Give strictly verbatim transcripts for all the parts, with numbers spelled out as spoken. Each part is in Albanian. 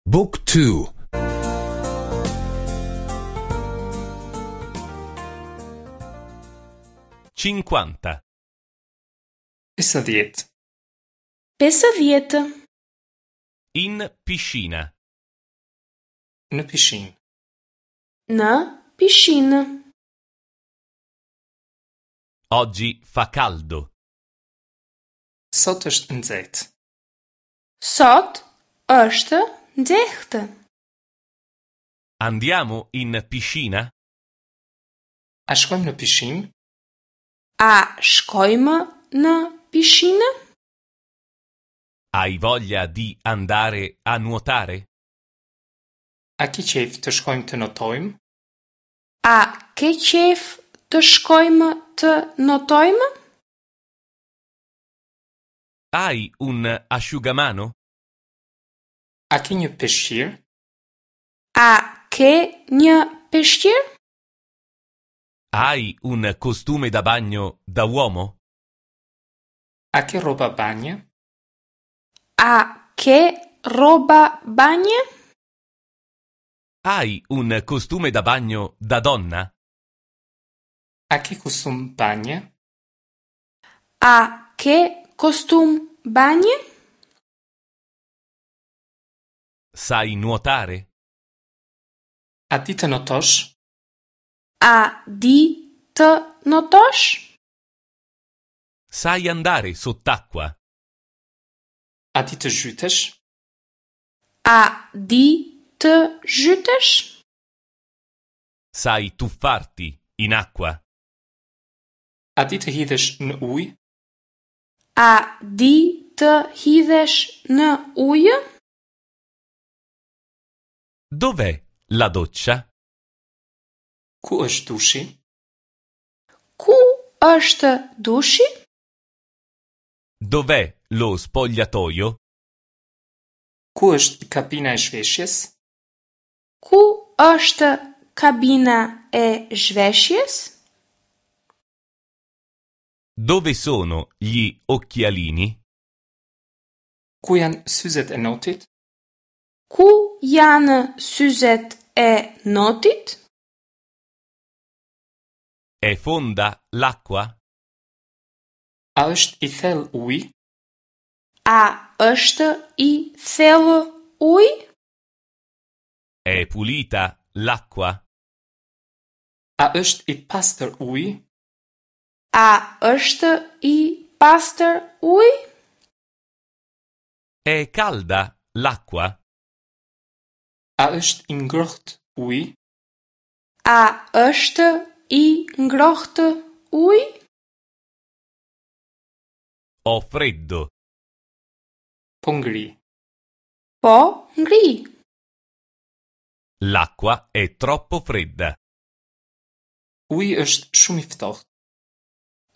Book two. Cinquanta. Pesëdhjetë. Pesëdhjetë. In piscina. Në pishinë. Në pishinë. Oggi fa caldo. Sot është nxehtë. Sot është nxehtë. Andiamo in piscina? A shkojmë në pishinë? A shkojmë në pishinë? Hai voglia di andare a nuotare? A ke qejf të shkojmë të notojmë? A ke qejf të shkojmë të notojmë? Hai un asciugamano? A ke një peshqir? A ke një peshqir? Hai un costume da bagno da uomo? A ke rroba banje? A ke rroba banje? Hai un costume da bagno da donna? A ke kostum banje? A ke kostum banje? Sai nuotare? A di të notosh? A di të notosh? Sai andare sott'acqua? A di të zhytesh? A di të zhytesh? Sai tuffarti in acqua? A di të hidhesh në ujë? A di të hidhesh në ujë? Dov'è la doccia? Ku është dushi? Ku është dushi? Dov'è lo spogliatoio? Ku është kabina e zhveshjes? Ku është kabina e zhveshjes? Dove sono gli occhialini? Ku janë syzet e notit? Ku janë syzet e notit? È fonda l'acqua? A është i thellë uji? A është i thellë uji? È pulita l'acqua? A është i pastër uji? A është i pastër uji? È calda l'acqua? A është i ngrohtë uji? A është i ngrohtë uji? Ho freddo. Po ngri. Po ngri. L'acqua è troppo fredda. Uji është shumë i ftohtë.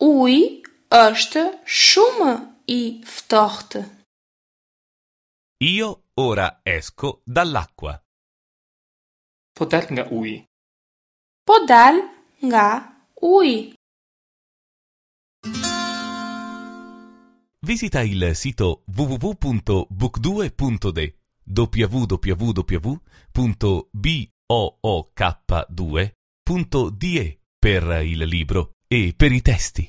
Uji është shumë i ftohtë. Io ora esco dall'acqua. Po dal nga uji. Po dal nga uji. Visita il sito w w w punto book due punto de w w w punto b o o k due punto d e per il libro e per i testi.